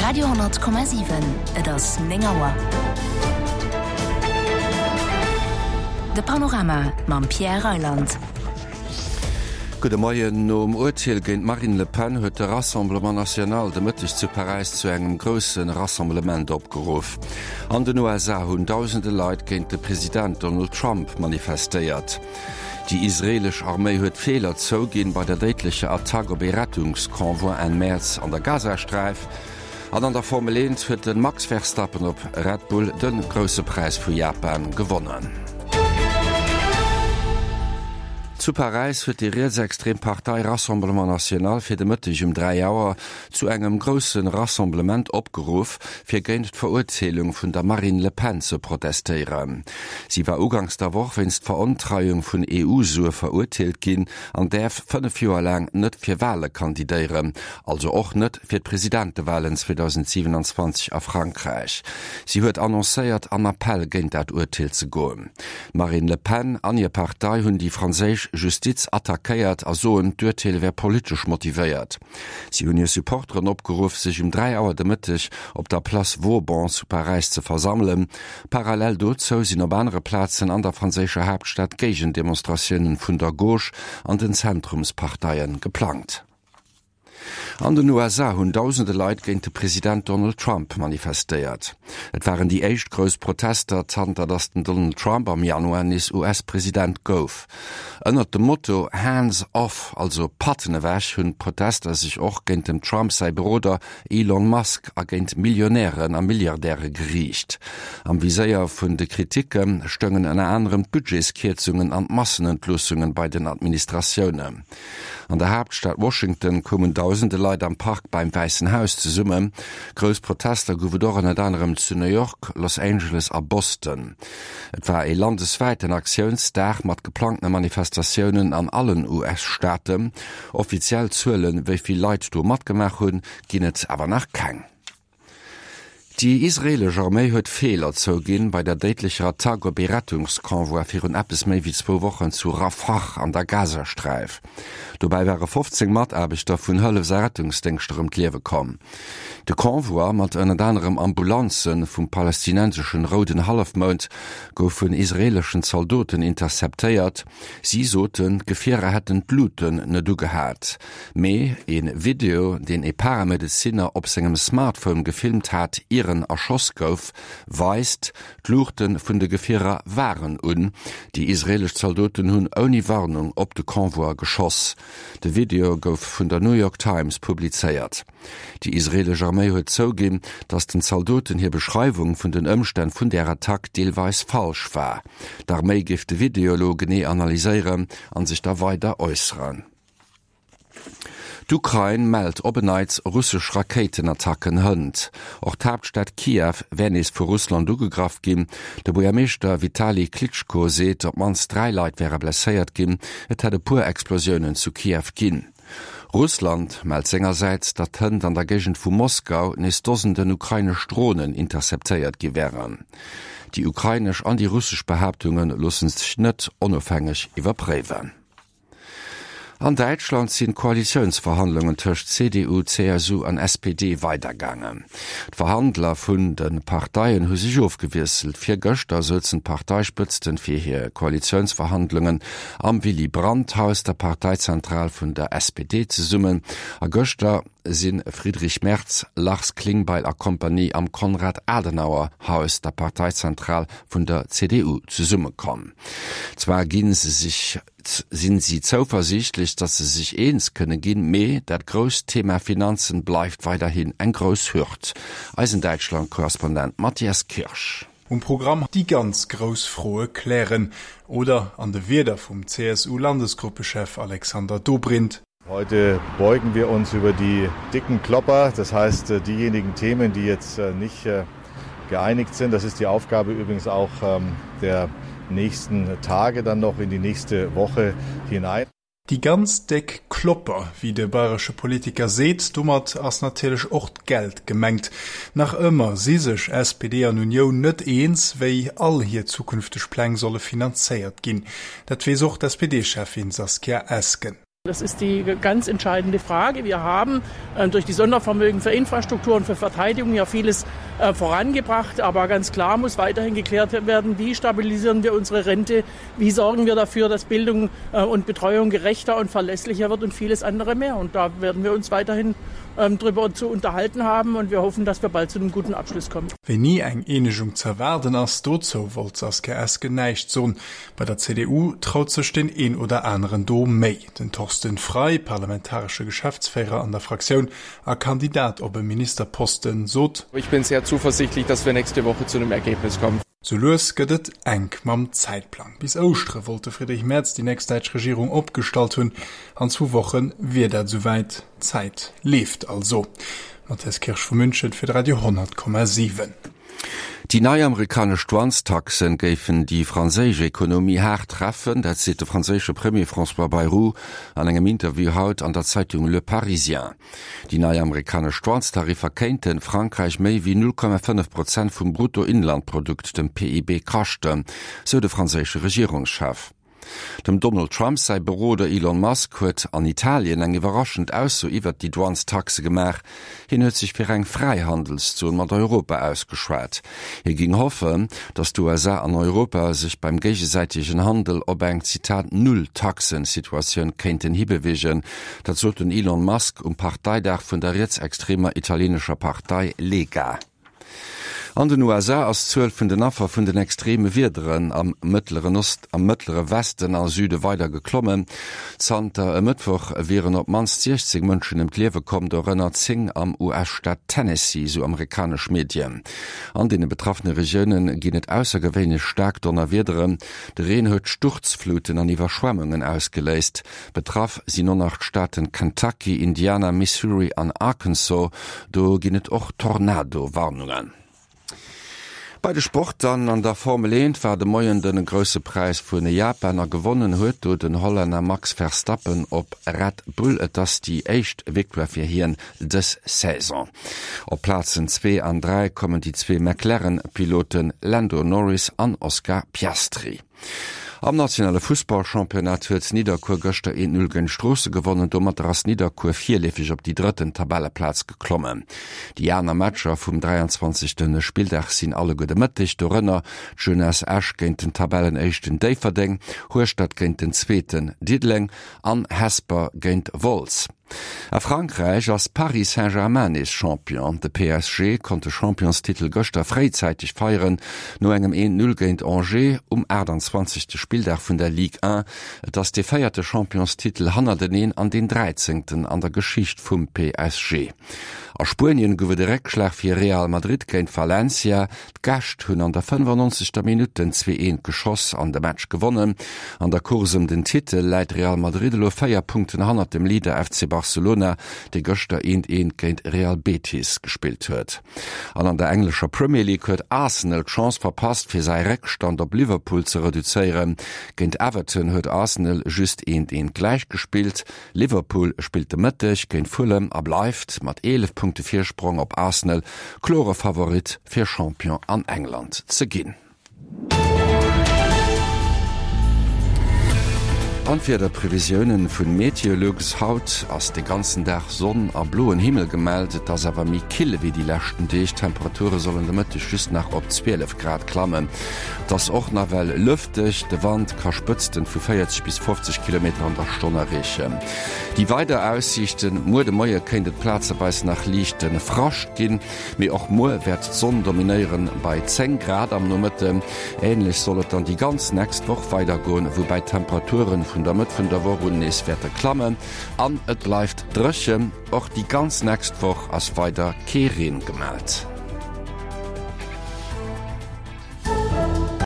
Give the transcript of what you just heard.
Radio 10,7 Et ass 9 Auer. De Panorama mam Pierre Reyland. Gudde Moien. Nom Urteel géint d'Marine Le Pen huet de Rassemblement National de Mëtteg zu Paräis zu engem grousse Rassemblement opgeruff. An den USA hunn dausende Leit géint de President Donald Trump manifestéiert. Déi israeelesch Arméi huet Feeler zouginn bei der déidlecher Attack op ee Rettungsconvoi Enn Mäerz an der Gazasträif. An an der Formel 1 huet de Max Verstappen op Red Bull de Grousse Präis vu Japan gewonnen. Zu Paräis huet déi rietsextrem Partei Rassemblement National fir de Mëtteg um 3 Auer zu engem grousse Rassemblement opgeruff, fir géint d'Verurteelung vun der Marine Le Pen ze protestéieren. Si war uganks der Woch wéinst Verontreiung vun EU-Sue verurteelt ginn an däerf 5 Joer laang net fir Wale kandidéieren, also och net fir d'Presidentewalen 2027 a Frankräich. Si huet annoncéiert, an Appell géint dat Urteel ze goen. D'Marine Le Pen an hir Partei hunn déi franséisch Justiz attackéiert a soen, d'Urteel wär politesch motivéiert. Si hunn hir Supporteren opgeruff, sech um 3 Auer de Mëtteg op der Place Vauban zu Paräis ze versammelen. Parallel dozou sinn op anere Plazen an der franséischer Haaptstad Géigendemonstratiounen vun der Gauche an den Zentrumsparteie geplangt. An den USA hunn dausende Leit géint de President Donald Trump manifestéiert. Et waren déi éischt grouss Protester, zanter datt den Donald Trump am Januar nees US-President gouf. Ënnert dem Motto Hands off, also Patten ewech, hunn d'Protester sech och géint dem Trump säi Beroder Elon Musk a géint Millionären a Milliardäre geriicht. Am Viséier vun de Kriticke stoungen ënner anerem d'Budgetskierzungen an d'Massenentloossungen bei den Administratiounen. An der Haaptstad Washington koumen dausende Leit am Park beim Wäissen Haus zesummen. Grouss Protester gouf et och ënnert anerem zu New York, Los Angeles a Boston. Et war ee landeswäiten Aktiounsdag mat geplangtene Manifestatiounen an allen US-Staaten. Offiziell Zuelen, wéi vill Leit do matgemaach hunn, ginn et awer nach keng. Déi israeelesch Arméi huet Feeler zouginn bei der déidlecher Attack op ee Rettungsconvoi virun eppes méi wéi zwou Wochen zu Rafah an der Gazasträif. Dobäi ware 15 Mataarbechter vun Hëllefs a Rettungsdéngschter ëm d'Liewe komm. De Convoi mat ënnert anerem Ambulanze vum palästinenseschen Rouden Hallefmound gouf vun israeeleschen Zaldoten interceptéiert. Si soten, d'Gefierer hätten d'Luuten net ugehat. Mee ee Video, deen ee Paramedezinner op sengem Smartphone gefilmt hat, ier en erschoss gouf, weist, d'Luuchte vun de Gefierer waren un. Déi israeelesch Zaldoten hunn ouni Warnung op de Convoi geschoss. De Video gouf vun der New York Times publizéiert. Déi israeelesch Arméi huet zouginn, datt den Zaldoten hir Beschreiwung vun den Ëmstänn vun där Attack deelweis falsch war. D'Arméi géif de Video elo genee analyséieren a sech da weider äusseren. D'Ukrain mellt op en Neits russesch Rakéitenattacken hënt. Och d'Haaptstad Kiew wär nees vu Russland ugegraff ginn. De Buergermeeschter Vitali Klitschko seet, op d'mannst 3 Leit wäre blesséiert ginn. Et hätt e puer Explosiounen zu Kiew ginn. Russland mellt sengersäits, datt hënt an der Géigend vu Moskau nees Dosenden ukrainesch Dronen interceptéiert gi wären. Déi ukrainesch an déi russesch Behaaptunge loosse sech net onofhängeg iwwerpréiwen. An Däitschland sinn d'Koalitiounsverhandlungen tëscht CDU, CSU an SPD weidergaangen. D'Verhandler vun de Parteien hu sech ofgewiesselt. Virgëschter souzen d'Parteispëtzten fir hir Koalitiounsverhandlungen am Willy Brandt Haus, der Parteizentral vun der SPD, zesummen. A gëschter si Friedrich Merz, Lars Klingbeil a Kompanie am Konrad Adenauer Haus, der Parteizentral vun der CDU, zesummekomm. Zwar gi se sech sinn si zouversiichtlech, datt se sech eens kënne ginn, mee dat grousst Thema Finanzen bleift weiderhin eng grouss Hürd. Eisen Däitschland-Korrespondent Matthias Kirsch. Um Programm déi ganz grouss Froe klären, oder an de Wierder vum CSU-Landesgruppechef Alexander Dobrindt. Heute beugen wir uns über die dicken Klopper, das heißt diejenigen Themen, die jetzt nicht geeinigt sind. Das ist die Aufgabe übrigens auch der nächsten Tage dann noch in die nächste Woche hinein. Déi ganz déck Klopper, wéi de bayresche Politiker seet, domat ass natierlech och d'Geld gemengt. Nach ëmmer si sech SPD an Unioun net eens, wéi all hir zukünfteg Pläng solle finanzéiert ginn. Dat weess och d'SPD-Cheffin Saskia Esken. Das ist die ganz entscheidende Frage. Wir haben äh, durch die Sondervermögen für Infrastruktur und für Verteidigung ja vieles äh, vorangebracht. Aber ganz klar muss weiterhin geklärt werden, wie stabilisieren wir unsere Rente, wie sorgen wir dafür, dass Bildung äh, und Betreuung gerechter und verlässlicher wird und vieles andere mehr. Und da werden wir uns weiterhin ähm, darüber zu unterhalten haben und wir hoffen, dass wir bald zu einem guten Abschluss kommen. Wéini eng Eenegung ze erwaarden ass, dozou wollt d'Saskia Esken näischt soen. Bei der CDU traut sech deen een oder aneren do méi. Den Thorsten Frei, parlamentaresche Geschäftsféierer an der Fraktioun a Kandidat op e Ministerposten, sot. Ich bin sehr zuversichtlich, dass wir nächste Woche zu einem Ergebnis kommen. Sou lues gëtt et enk mam Zäitplang. Bis Ouschtere wollt de Friedrich Merz déi nächst däitsch Regierung opgestallt hunn. An zwou Woche wier dat esouwäit. D'Zäit leeft also. Matthias Kirsch vu München fir de Radio 10,7. Déi nei amerikanesch Douanestaxen géifen déi franséisch Ekonomie haart treffen, dat seet de franséische Premier François Bayrou an engem Interview haut an der Zeitung Le Parisien. Déi nei amerikanesch Douanestariffer kéinte Frankräich méi wéi 0,5 Prozent vum Bruttoinlandprodukt, dem PIB, kaschten, sou de franséische Regierungschef. Dem Donald Trump säi Beroder Elon Musk huet an Italien eng iwwerraschend Ausso iwwert déi Douanestaxe gemaach. Hien huet sech fir eng Fräihandelszon mat Europa ausgeschwat. Hie géing hoffen, datt d'USA an Europa sech beim géigesäitegen Handel op eng, Zitat, Null-Taxen-Situatioun kéinten hibeweegen. Dat sot den Elon Musk um Parteidag vun der rietsextremer italienescher Partei Lega. An den USA ass d'Zuel vun den Affer vun den extreme Wiederen am Mëttleren Ost, am Mëttlere Westen a Süde weider geklommen. Zanter e Mëttwoch wieren op d'mannst 16 Mënschen ëm d'Liewe komm, dorënner 10 am US-Staat Tennessee, sou amerikanesch Medien. An deene betraffene Regioune ginn et aussergewéinlech staark Donnerwiederen. De Reen huet Sturzfluten an Iwwerschwemmungen ausgeléist. Betraff sinn och nach d'Staaten Kentucky, Indiana, Missouri an Arkansas. Do ginn et och Tornado-Warnungen. Bei de Sport dann, An der Formel 1 war de Moien den Grousse Präis vun Japan a gewonnen huet do den Hollänner Max Verstappen op Red Bull. Et ass déi éischt Victoire fir hien dës Saison. Op Plazen 2 an 3 kommen déi zwee McLaren-Piloten Lando Norris an Oscar Piastri. Am nationale Fussballchampionnat huet Nidderkuer gëschter 1, 0 géint Stroossen gewonnen. Domatter ass Nidderkuer virleefeg op déi drëtten Tabelleplaz geklommen. Déi aner Matcher vum 23. Spilldag sinn alleguer de Mëtteg, dorënner d'Jeunesse Esch géint den Tabellenéischten Déifferdeng, Hueschtert géint den Zweeten Diddeleng an Hesper géint Wolz. A Frankräich ass Paris Saint-Germain nees Champion. De PSG konnt de Championstitel gëschter fréizäiteg feieren, no engem 1, 0 géint Angers um 28. Spilldag vun der Ligue 1. Et ass dee véierte Championstitel hannerteneen an deen dräizéngten an der Geschicht vum PSG. A Spuenien gouf et e Réckschlag fir Real Madrid géint Valencia. D'Gäscht hunn an der 95. Minutt den 2, 1 geschoss an de Match gewonnen. An der Course ëm den Titel läit Real Madrid elo 4 Punkten hannert dem Leader FC Barcelona, dee gëschter 1, 1 géint Real Betis gespillt huet. An an der englescher Premier League huet Arsenal d'Chance verpasst, fir säi Réckstand op Liverpool ze reduzéieren. Géint Everton huet Arsenal just 1, 1 gläichgespillt. Liverpool spillt de Mëtteg géint Fulham a bleift mat 11 Punkte Virsprong op Arsenal klore Favorit fir Champion an England ze ginn. An d'Wiederprevisiounen vun Meteolux, Haut ass de ganzen Dag Sonn a bloen Himmel gemellt, et ass awer méi kill ewéi déi leschten Deeg. D'Temperature sollen de Mëtteg just nach op 12 Grad klammen. Et ass och nawell lëfteg, de Wand ka Spëtzten vu 40 bis 50 Kilometer an der Stonn erreechen. Déi weider Aussiichten, Muer de Moie kéint et plazeweis nach liichte Frascht ginn, mee och muer wäert d'Sonn dominéieren bei 10 Grad am Nomëtten. Änlech soll et dann déi ganz nächst Woch weidergoen, woubäi d'Temperature vun der Mëtt vun der Woch un nees wäerte klammen an et bleift dréchen. Och déi ganz nächst Woch ass weider kee Reen gemellt.